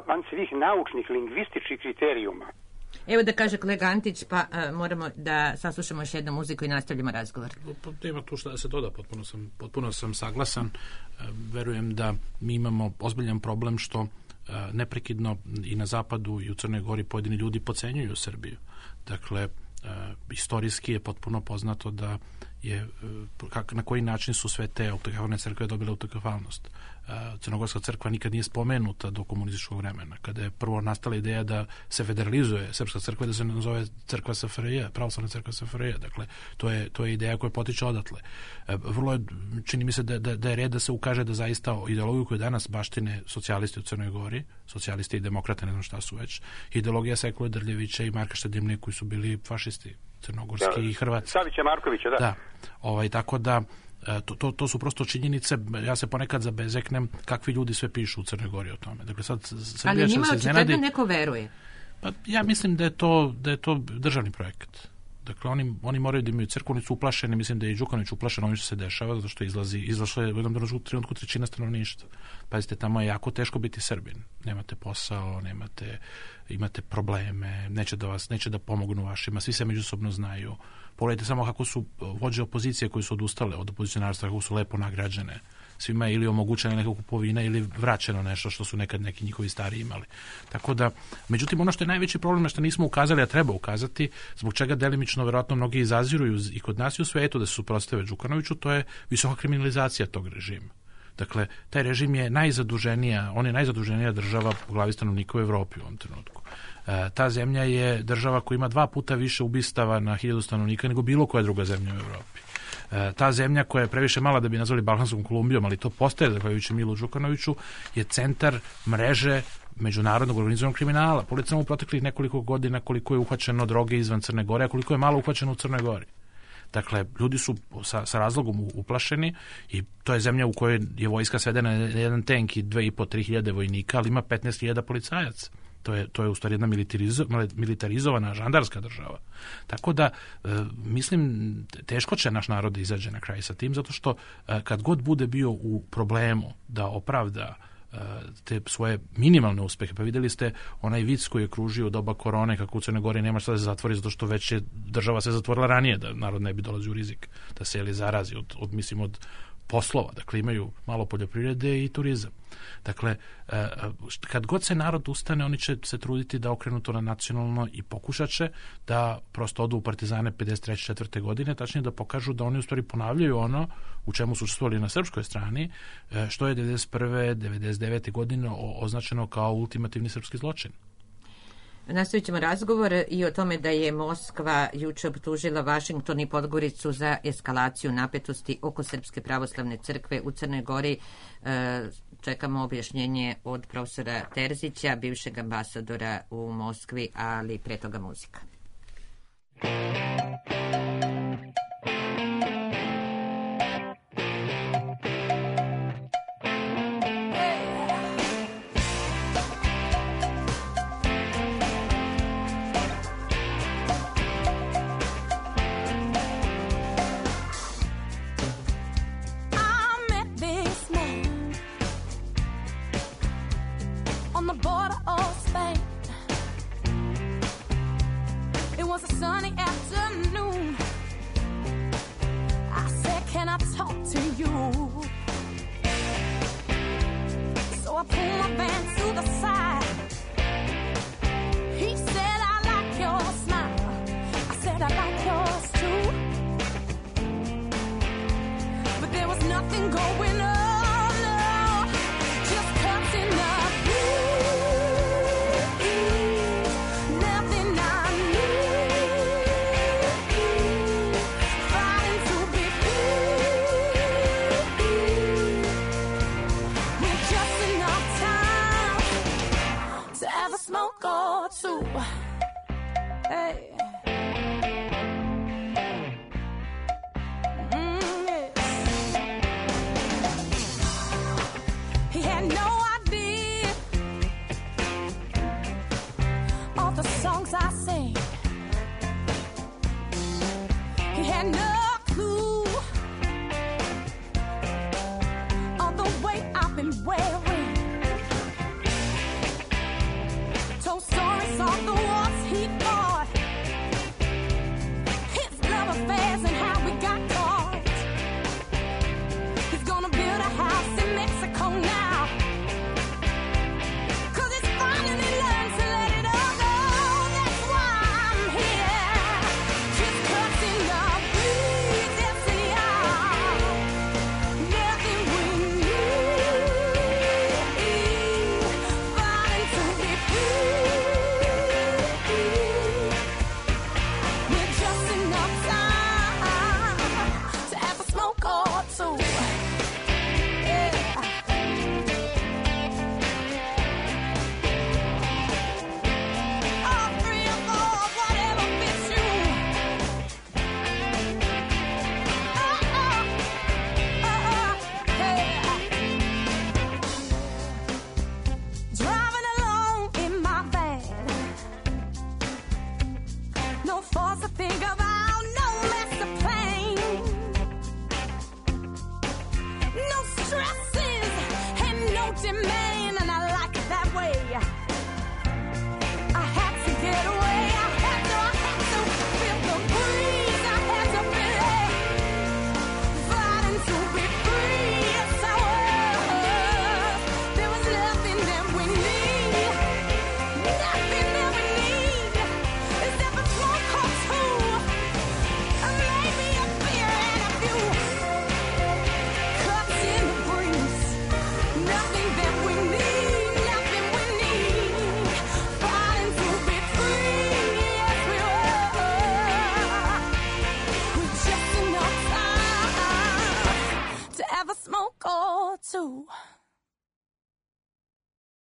van svih naučnih, lingvističkih kriterijuma. Evo da kaže kolega Antić, pa uh, moramo da saslušamo još jednu muziku i nastavljamo razgovor. Nema tu šta da se doda, potpuno sam, potpuno sam saglasan. E, verujem da mi imamo ozbiljan problem što e, neprekidno i na zapadu i u Crnoj Gori pojedini ljudi podcenjuju Srbiju. Dakle, e, istorijski je potpuno poznato da je, kak, na koji način su sve te autokefalne crkve dobile autokefalnost. Crnogorska crkva nikad nije spomenuta do komunističkog vremena. Kada je prvo nastala ideja da se federalizuje srpska crkva, da se nazove crkva S F R J, pravoslavna crkva S F R J. Dakle, to je, to je ideja koja potiče odatle. Vrlo je, čini mi se da, da, da je red da se ukaže da zaista ideologiju koju danas baštine socijalisti u Crnoj Gori, socijalisti i demokrate, ne znam šta su već, ideologija Sekule Drljevića i Marka Štedimlje koji su bili fašisti crnogorski da, i Hrvati. Savića Markovića, da. Da, ovaj, tako da To, to, to su prosto činjenice. Ja se ponekad zabezeknem kakvi ljudi sve pišu u Crnoj Gori o tome. Dakle, sad Srbija ali njima se očigledno neko veruje. Pa ja mislim da je to, da je to državni projekat. Dakle, oni, oni moraju da imaju crkvu, oni su uplašeni, mislim da je i Đukanović uplašen ovim što se dešava, zato što izlazi, izlašlo je u jednom trenutku trećina stanovništva. Pazite, tamo je jako teško biti Srbin. Nemate posao, nemate, imate probleme, neće da vas, neće da pomognu vašima, svi se međusobno znaju. Pogledajte samo kako su vođe opozicije koji su odustale od opozicionarstva, kako su lepo nagrađene. Svima je ili omogućena neka kupovina ili vraćeno nešto što su nekad neki njihovi stari imali. Tako da, međutim, ono što je najveći problem na što nismo ukazali, a treba ukazati, zbog čega delimično verovatno mnogi izaziruju i kod nas i u svetu da se suprotstave Đukanoviću, to je visoka kriminalizacija tog režima. Dakle, taj režim je najzaduženija, on je najzaduženija država po glavi stanovnika u Evropi u ovom trenutku. E, ta zemlja je država koja ima dva puta više ubistava na hiljadu stanovnika nego bilo koja druga zemlja u Evropi. E, ta zemlja koja je previše mala da bi nazvali Balkanskom Kolumbijom, ali to postaje zahvaljujući Milu Đukanoviću, je centar mreže međunarodnog organizovanog kriminala. Pogledajte u proteklih nekoliko godina koliko je uhvaćeno droge izvan Crne Gore, a koliko je malo uhvaćeno u Crnoj Gori. Dakle, ljudi su sa, sa razlogom uplašeni i to je zemlja u kojoj je vojska svedena na jedan tank i dve i po, tri hiljade vojnika, ali ima petnaest hiljada policajaca. To je, to je u stvari jedna militarizo, militarizovana žandarska država. Tako da, e, mislim, teško će naš narod da izađe na kraj sa tim, zato što e, kad god bude bio u problemu da opravda te svoje minimalne uspehe. Pa vidjeli ste onaj vic koji je kružio u doba korone, kako u Crnoj Gori nema šta da se zatvori, zato što već je država se zatvorila ranije, da narod ne bi dolazio u rizik, da se ili zarazi od, od, mislim, od poslova. Dakle, imaju malo poljoprivrede i turizam. Dakle, kad god se narod ustane, oni će se truditi da okrenu to na nacionalno i pokušat će da prosto odu u partizane pedeset treće četvrte godine, tačnije da pokažu da oni u stvari ponavljaju ono u čemu su učestvovali na srpskoj strani, što je devedeset prve devedeset devete godine označeno kao ultimativni srpski zločin. Nastavit ćemo razgovor i o tome da je Moskva juče optužila Vašington i Podgoricu za eskalaciju napetosti oko Srpske pravoslavne crkve u Crnoj Gori. Čekamo objašnjenje od profesora Terzića, bivšeg ambasadora u Moskvi, ali pre toga muzika.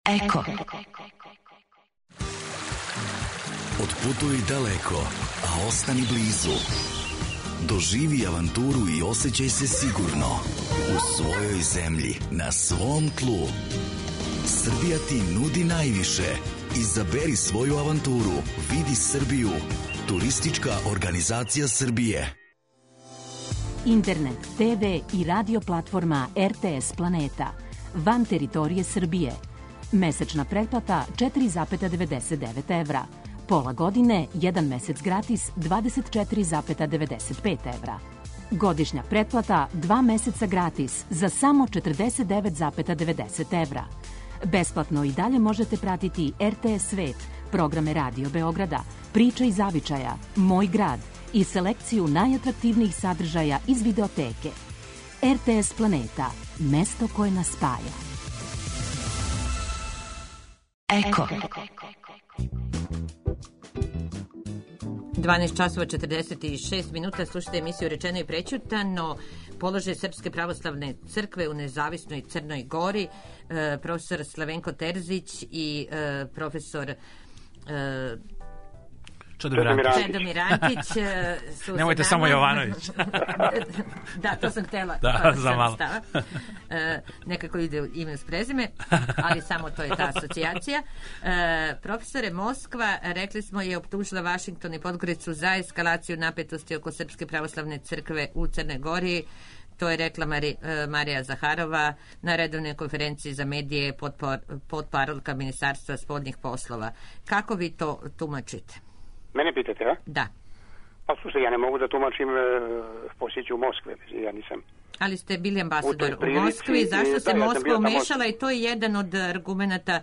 Eko. Otputuj daleko, a ostani blizu. Doživi avanturu i osjećaj se sigurno u svojoj zemlji, na svom tlu. Srbija ti nudi najviše. Izaberi svoju avanturu. Vidi Srbiju. Turistička organizacija Srbije. Internet, te ve i radio platforma er te es Planeta. van teritorije Srbije. Mesečna pretplata četiri zarez devedeset devet evra. Pola godine, jedan mesec gratis, dvadeset četiri zarez devedeset pet evra. Godišnja pretplata, dva meseca gratis, za samo četrdeset devet zarez devedeset evra. Besplatno i dalje možete pratiti er te es Svet, programe Radio Beograda, Priča i zavičaja, Moj grad i selekciju najatraktivnijih sadržaja iz videoteke. er te es Planeta, mesto koje nas spaja. Eko. dvanaest časova četrdeset šest minuta, slušajte emisiju Rečeno i prećutano. Položaj Srpske pravoslavne crkve u nezavisnoj Crnoj Gori, e, profesor Slavenko Terzić i e, profesor e, Čedomir Antić. Nemojte samo Jovanović. Da, to sam htjela. Da, za malo. E, nekako ide ime s prezime, ali samo to je ta asocijacija. E, profesore, Moskva, rekli smo, je optužila Vašington i Podgoricu za eskalaciju napetosti oko Srpske pravoslavne crkve u Crnoj Gori. To je rekla Mari, Marija Zaharova na redovnoj konferenciji za medije pod, pod parolka Ministarstva spoljnih poslova. Kako vi to tumačite? Mene pitate, a? Da. Pa slušaj, ja ne mogu da tumačim e, posjeću u Moskve, ja nisam. Ali ste bili ambasador u, prilici, Moskvi, zašto se da, Moskva ja umešala i to je jedan od argumenata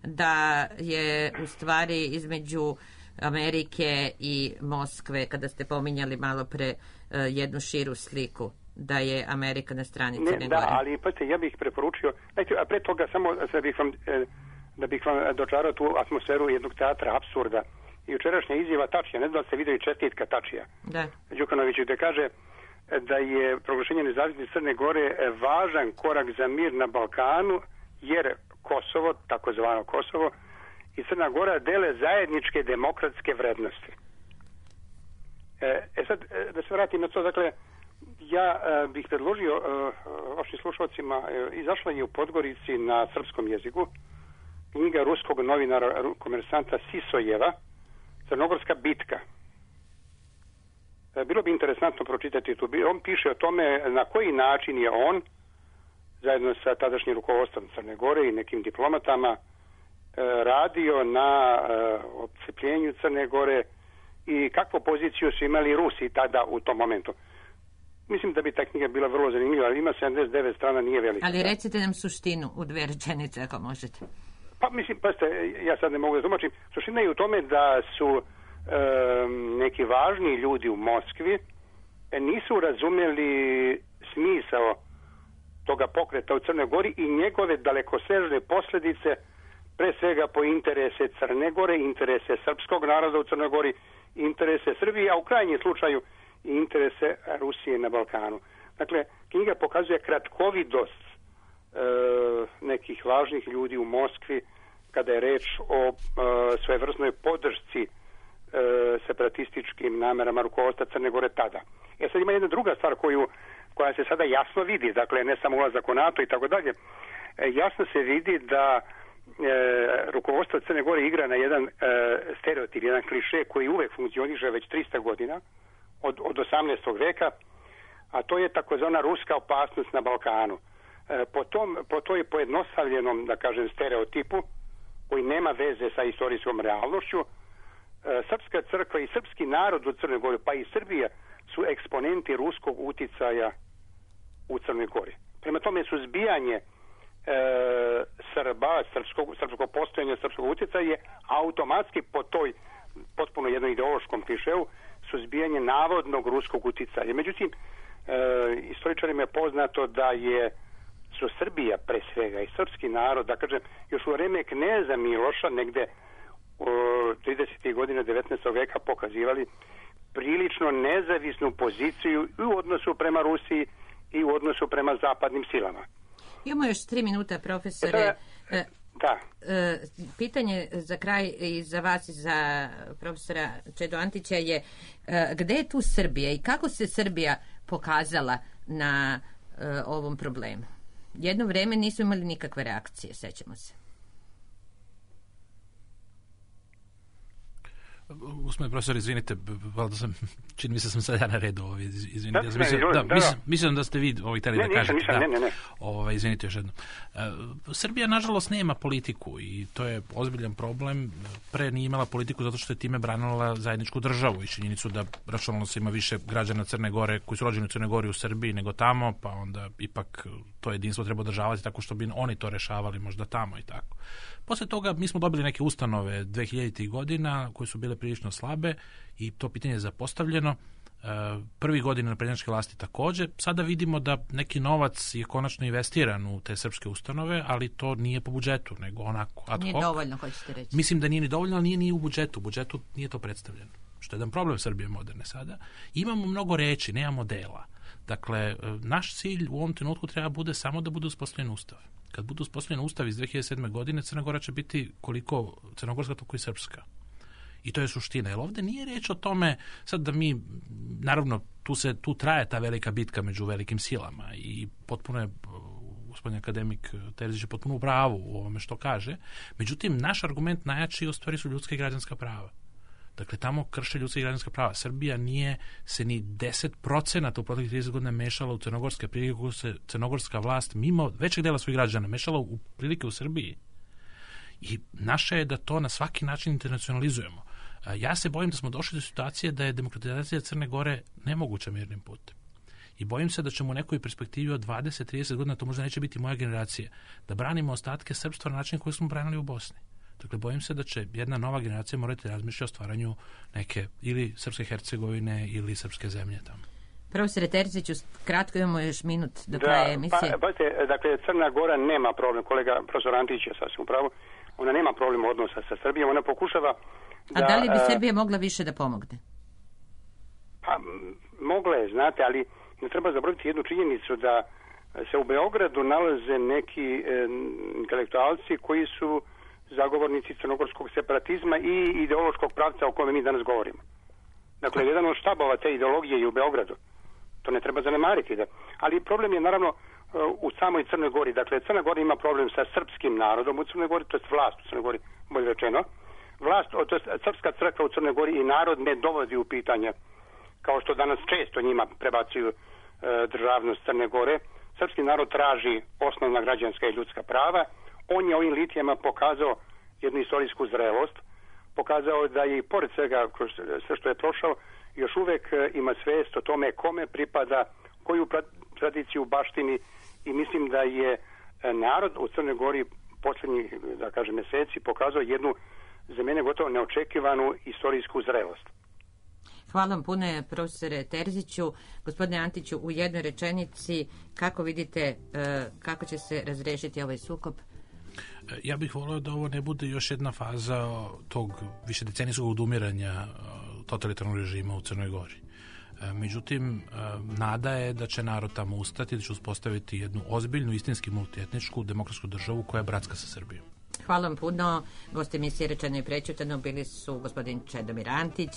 da je u stvari između Amerike i Moskve, kada ste pominjali malo pre uh, jednu širu sliku, da je Amerika na strani Crne Gore. Da, ali pazite, ja bih preporučio, znači, a pre toga samo da bih vam, da bih vam dočarao tu atmosferu jednog teatra apsurda. Jučerašnja izjava Tačija, ne znam da ste vidjeli čestitka Tačija, da. Đukanoviću, gde kaže da je proglašenje nezavisnosti Crne Gore važan korak za mir na Balkanu, jer Kosovo, takozvano Kosovo, i Crna Gora dele zajedničke demokratske vrednosti. E sad, da se vratim na to, dakle, ja e, bih predložio e, vašim slušalcima, e, izašla je u Podgorici na srpskom jeziku knjiga ruskog novinara, komersanta Sisojeva, Crnogorska bitka. E, bilo bi interesantno pročitati tu. On piše o tome na koji način je on, zajedno sa tadašnjim rukovodstvom Crne Gore i nekim diplomatama, e, radio na e, odcepljenju Crne Gore i kakvu poziciju su imali Rusi tada u tom momentu. Mislim da bi ta knjiga bila vrlo zanimljiva, ali ima sedamdeset devet strana, nije velika. Ali recite nam suštinu u dve rečenice, ako možete. Pa mislim, pa ste, ja sad ne mogu da tumačim. Suština je u tome da su e, neki važni ljudi u Moskvi e, nisu razumeli smisao toga pokreta u Crnoj Gori i njegove dalekosežne posljedice, pre svega po interese Crne Gore, interese srpskog naroda u Crnoj Gori, interese Srbije, a u krajnjem slučaju i interese Rusije na Balkanu. Dakle, knjiga pokazuje kratkovidost e, nekih važnih ljudi u Moskvi kada je reč o e, svojevrsnoj podršci e, separatističkim namerama rukovodstva Crne Gore tada. E sad ima jedna druga stvar koju, koja se sada jasno vidi, dakle ne samo ulazak u NATO i tako dalje, jasno se vidi da E, rukovodstvo Crne Gore igra na jedan e, stereotip, jedan kliše koji uvek funkcioniše već trista godina od, od osamnaestog veka, a to je takozvana ruska opasnost na Balkanu. E, po, tom, po toj pojednostavljenom, da kažem, stereotipu koji nema veze sa istorijskom realnošću, e, srpska crkva i srpski narod u Crnoj Gori, pa i Srbija, su eksponenti ruskog uticaja u Crnoj Gori. Prema tome, suzbijanje E, Srba, srpskog, srpskog postojanja, srpskog utjecaja je automatski po toj potpuno jednom ideološkom klišeu suzbijanje navodnog ruskog utjecaja. Međutim, e, istoričarima je poznato da je su Srbija pre svega i srpski narod, da kažem, još u vreme kneza Miloša, negde u tridesetih godina devetnaestog veka pokazivali prilično nezavisnu poziciju i u odnosu prema Rusiji i u odnosu prema zapadnim silama. Imamo još tri minuta, profesore. E, da. E, pitanje za kraj i za vas i za profesora Čedo Antića je e, gde je tu Srbija i kako se Srbija pokazala na e, ovom problemu? Jedno vreme nisu imali nikakve reakcije, sećamo se. Gospodine profesor, izvinite, valjda sam, čini mi se sam sad ja na redu, ovaj, izvinite. Da, Ja sam mislio, ne, da, da, mislim, da. mislim da ste vi ovaj, tali Ne, da nisam, kažete. nisam, da. ne, ne, ne. Ovaj, izvinite još jednom. E, Srbija, nažalost, nema politiku i to je ozbiljan problem. Pre nije imala politiku zato što je time branila zajedničku državu i činjenicu da računalno se ima više građana Crne Gore koji su rođeni u Crnoj Gori u Srbiji nego tamo, pa onda ipak to jedinstvo treba održavati tako što bi oni to rešavali možda tamo i tako. Posle toga mi smo dobili neke ustanove dvehiljaditih godina koje su bile prilično slabe i to pitanje je zapostavljeno. Prvi godina naprednjačke vlasti takođe. Sada vidimo da neki novac je konačno investiran u te srpske ustanove, ali to nije po budžetu, nego onako ad hoc. Nije dovoljno, hoćete reći. Mislim da nije ni dovoljno, ali nije ni u budžetu. U budžetu nije to predstavljeno. Što je jedan problem Srbije moderne sada. Imamo mnogo reči, nemamo dela. Dakle, naš cilj u ovom trenutku treba bude samo da bude uspostavljen ustav. Kad bude uspostavljen ustav iz dve hiljade sedme. godine, Crna Gora će biti koliko crnogorska, toliko i srpska. I to je suština. Jer ovde nije reč o tome sad da mi, naravno, tu, se, tu traje ta velika bitka među velikim silama i potpuno je gospodin akademik Terzić je potpuno u pravu u ovome što kaže. Međutim, naš argument najjači u stvari su ljudska i građanska prava. Dakle, tamo krše ljudska i građanska prava. Srbija nije se ni deset procenata u proteklih trideset godina mešala u crnogorske prilike kako se crnogorska vlast mimo većeg dela svojih građana mešala u prilike u Srbiji. I naše je da to na svaki način internacionalizujemo. Ja se bojim da smo došli do situacije da je demokratizacija Crne Gore nemoguća mirnim putem. I bojim se da ćemo u nekoj perspektivi od dvadeset do trideset godina, to možda neće biti moja generacija, da branimo ostatke srpstva na način koji smo branili u Bosni. Dakle, bojim se da će jedna nova generacija morati razmišljati o stvaranju neke ili Srpske Hercegovine ili srpske zemlje tamo. Profesore Terziću, kratko imamo još minut do da, kraja emisije. Pa, pazite, dakle, Crna Gora nema problem, kolega profesor Antić je sasvim upravo, ona nema problem odnosa sa Srbijom, ona pokušava da... A da li bi Srbija mogla više da pomogne? Pa, mogla je, znate, ali ne treba zaboraviti jednu činjenicu da se u Beogradu nalaze neki e, intelektualci koji su zagovornici crnogorskog separatizma i ideološkog pravca o kome mi danas govorimo. Dakle, jedan od štabova te ideologije je u Beogradu. To ne treba zanemariti. Da. Ali problem je naravno u samoj Crnoj Gori. Dakle, Crna Gora ima problem sa srpskim narodom u Crnoj Gori, to je vlast u Crnoj Gori, bolje rečeno. Vlast, to je srpska crkva u Crnoj Gori i narod ne dovodi u pitanje, kao što danas često njima prebacuju e, državnost Crne Gore. Srpski narod traži osnovna građanska i ljudska prava. On je ovim litijama pokazao jednu istorijsku zrelost, pokazao da je i pored svega sve što je prošao, još uvek ima svest o tome kome pripada, koju tradiciju baštini i mislim da je narod u Crnoj Gori posljednjih, da kažem, meseci pokazao jednu za mene gotovo neočekivanu istorijsku zrelost. Hvala vam puno, profesore Terziću. Gospodine Antiću, u jednoj rečenici, kako vidite kako će se razrešiti ovaj sukob? Ja bih volio da ovo ne bude još jedna faza tog višedecenijskog odumiranja totalitarnog režima u Crnoj Gori. Međutim, nada je da će narod tamo ustati, da će uspostaviti jednu ozbiljnu, istinski multietničku demokratsku državu koja je bratska sa Srbijom. Hvala vam puno. Gosti emisije Rečeno i prećutano bili su gospodin Čedomir Antić,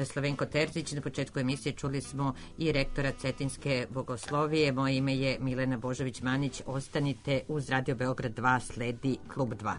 Slavenko Terzić. Na početku emisije čuli smo i rektora Cetinske bogoslovije. Moje ime je Milena Božović-Manić. Ostanite uz Radio Beograd dva, sledi Klub dva.